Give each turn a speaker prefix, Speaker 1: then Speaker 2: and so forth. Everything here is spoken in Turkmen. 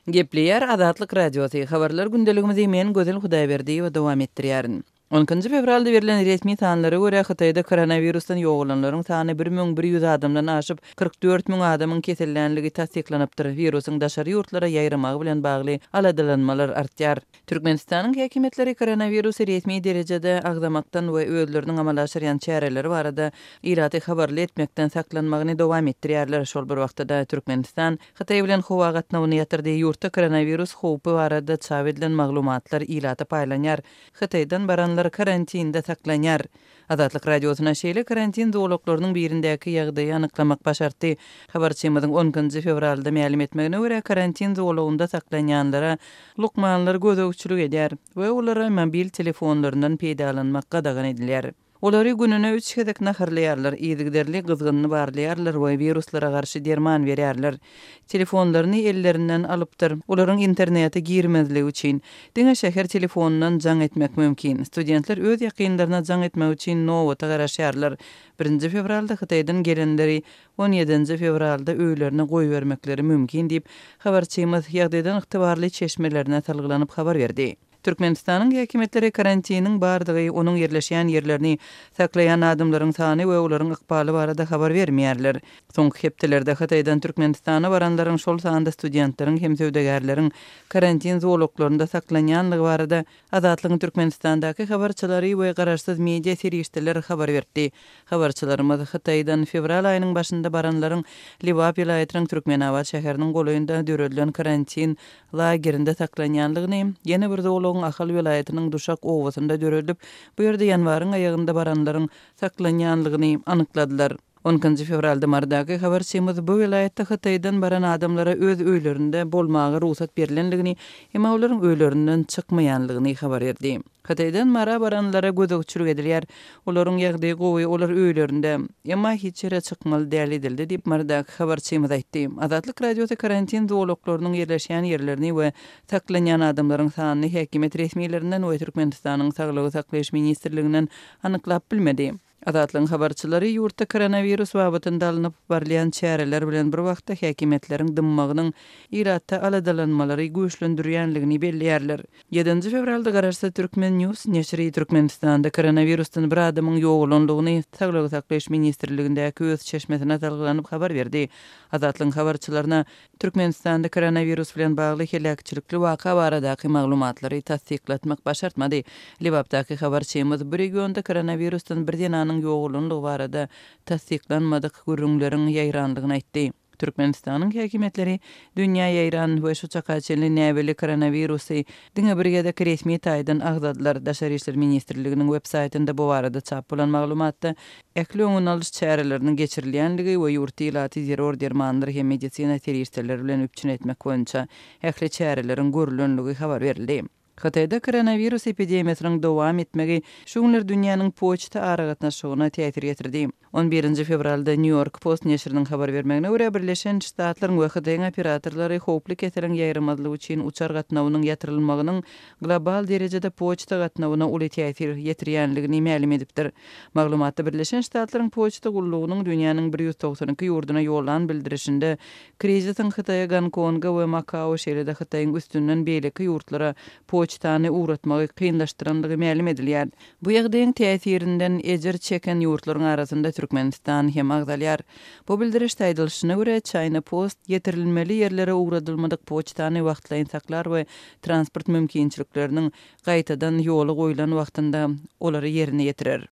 Speaker 1: Gepleýär Azatlyk Radiosy, Habarlar gündeligimizi men Gözel Hudaýberdiýewa dowam etdirýärin. On ikinji fewralda berlen resmi sanlara görä, Hytaýda koronawirusdan ýogalanlaryň sany 1100 adamdan aşyp, 44 müň adamyň kesellänligi tassyklanypdyr. Wirusyň daşary ýurtlara ýaýramagy bilen bagly aladalanmalar artýar. Türkmenistanyň häkimiýetleri koronawirusy resmi derejede agzamakdan we özleriniň amala aşyrýan çäreleri barada ilaty habarly etmekden saklanmagyny dowam etdirýärler. Şol bir wagtda-da, Türkmenistan Hytaý bilen howa gatnawyny ýatyrdy, ýurtda koronawirus howpy barada çap edilen maglumatlar ilata paýlanýar, Hytaýdan baranlar karantinde saklanýar. Azatlyk Radiosyna şeýle karantin zolaklarynyň birindäki ýagdaýy anyklamak başartdy. Habarçymyzyň on ikinji fewralda mälim etmegine görä, karantin zolagynda saklanýanlara lukmanlar gözegçilik edýär we olara mobil telefonlaryndan peýdalanmak gadagan edilýär. Olary gününe üç gezek naharlaýarlar, yzygiderli gyzgynyny barlaýarlar we wiruslara garşy derman berýärler. Telefonlaryny ellerinden alypdyr. Olaryň internete girmezligi üçin, diňe şäher telefonyndan jaň etmek mümkin. Studentler öz ýakynlaryna jaň etmek üçin nobata garaşýarlar. Birinji fewralda Hytaýdan gelenleri on ýedinji fewralda öýlerine goýbermekleri mümkin diýip, habarçymyz ýagdaýdan ygtybarly çeşmelerine salgylanyp habar berdi. Türkmenistanyň häkimiýetleri karantiniň bardygy, onuň ýerleşýän ýerlerini, saklaýan adamlaryň sany we olaryň ykbaly barada habar bermeýärler. Soňky hepdelerde Hytaýdan Türkmenistana baranlaryň, şol sanda studentleriň hem söwdagärleriň karantin zolaklarynda saklanýanlygy barada Azatlygyň Türkmenistandaky habarçylary we garaşsyz media serişdeler habar beripdi. Habarçylarymyz Hytaýdan fewral aýynyň başynda baranlaryň Lebap welaýatynyň Türkmenabat şäheriniň golaýynda döredilen karantin lagerinde saklanýandygyny, ýene bir zolagyň Ahal welaýatynyň Duşak obasynda döredilip, bu ýerde ýanwaryň aýagynda baranlaryň saklanýandygyny anykladylar. On ikinji fewralda Marydaky habarçymyz bu welaýatda Hytaýdan baran adamlara öz öýlerinde bolmaga rugsat berlendigini, emma olaryň öýlerinden çykmaýandygyny habar berdi. Hytaýdan Mara baranlara gözegçilik edilýär. Olaryň ýagdaýy gowy, olar öýlerinde. Emma hiç ýere çykmaly däl edildi diýip, Marydaky habarçymyz aýtdy. Azatlyk Radiosy karantin zolaklarynyň ýerleşýän ýerlerini we saklanýan adamlaryň sanyny häkimiýet resmilerinden we Türkmenistanyň Saglygy saklaýyş ministrliginden anyklap bilmedi. Azatlygyň habarçylary ýurtda koronawirus babatynda alnyp barylýan çäreler bilen bir wagtda häkimiýetleriň dymmagynyň ilatda aladalanmalary güýçlendirýänligini belleýärler. Ýedinji fewralda garaşsyz Turkmen. News neşiri Türkmenistanda koronawirusdan bir adamyň ýogalandygyny Saglygy saklaýyş ministrligindäki öz çeşmesine salgylanyp habar berdi. Azatlygyň habarçylaryna Türkmenistanda koronawirus bilen bagly heläkçilikli waka baradaky maglumatlary tassyklatmak başartmady. Lebapdaky habarçymyz bu regionda koronawirusdan bir zenanyň ýogalandygy barada tassyklanmadyk gürrüňleriň ýaýrandygyny aýtdy. Türkmenistanyň häkimiýetleri dünýä ýaýran we şu çaka çenli näbelli koronawirusy diňe bir gezek resmi taýdan agzadylar. Daşary işler ministrliginiň web saýtynda bu barada çap bolan maglumatda ähli öňüni alyş çäreleriniň geçirilýänligi we ýurtda ilaty zerur dermanlar hem medisina serişdeleri bilen üpjün etmek boýunça ähli çäreleriň görülenligi habar berildi. Hytaýda koronawirus epidemiýasynyň dowam etmegi şu günler dünýäniň poçta aragatnaşygyna täsir ýetirdi. On birinji fewralda Nýu-Ýork Post neşiriniň habar bermegine görä, Birleşen Ştatlaryň we Hytaýyň operatorlary howply keseliň ýaýramazlygy üçin uçar gatnawynyň ýatyrylmagynyň global derejede poçta gatnawyna uly täsir ýetirýänligini mälim edipdir. Maglumatda Birleşen Ştatlaryň poçta gullugynyň dünýäniň 192 ýurduna ýollan bildirişinde Krizisiň Hytaýa, Gonkonga we Makao, şeýle-de Hytaýyň üstünden beýleki ýurtlara poçtany ugratmagy kynlaşdyrandygy mälim edilýär. Bu ýagdaýyň täsirinden ejir çeken ýurtlaryň arasynda Türkmenistan hem agzalýar. Bu bildirişde aýdylyşyna görä, China Post ýetirilmeli ýerlere ugradylmadyk poçtany wagtlaýyn saklar we transport mümkinçilikleriniň gaýtadan ýola goýlan wagtynda olary ýerine ýetirer.